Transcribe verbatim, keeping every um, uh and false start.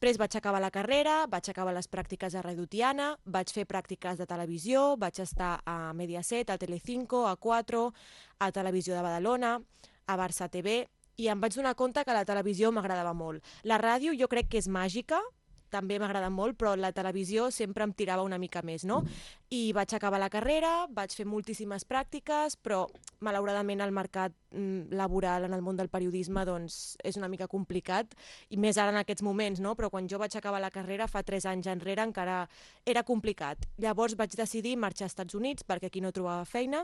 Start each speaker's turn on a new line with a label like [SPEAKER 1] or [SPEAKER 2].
[SPEAKER 1] Després vaig acabar la carrera, vaig acabar les pràctiques a Radio Tiana, vaig fer pràctiques de televisió, vaig estar a Mediaset, a Telecinco, a quatre, a Televisió de Badalona, a Barça T V, i em vaig donar compte que la televisió m'agradava molt. La ràdio jo crec que és màgica, també m'agrada molt, però la televisió sempre em tirava una mica més, no? I vaig acabar la carrera, vaig fer moltíssimes pràctiques, però malauradament el mercat mm, laboral en el món del periodisme doncs, és una mica complicat, i més ara en aquests moments, no? Però quan jo vaig acabar la carrera fa tres anys enrere encara era complicat. Llavors vaig decidir marxar als Estats Units perquè aquí no trobava feina,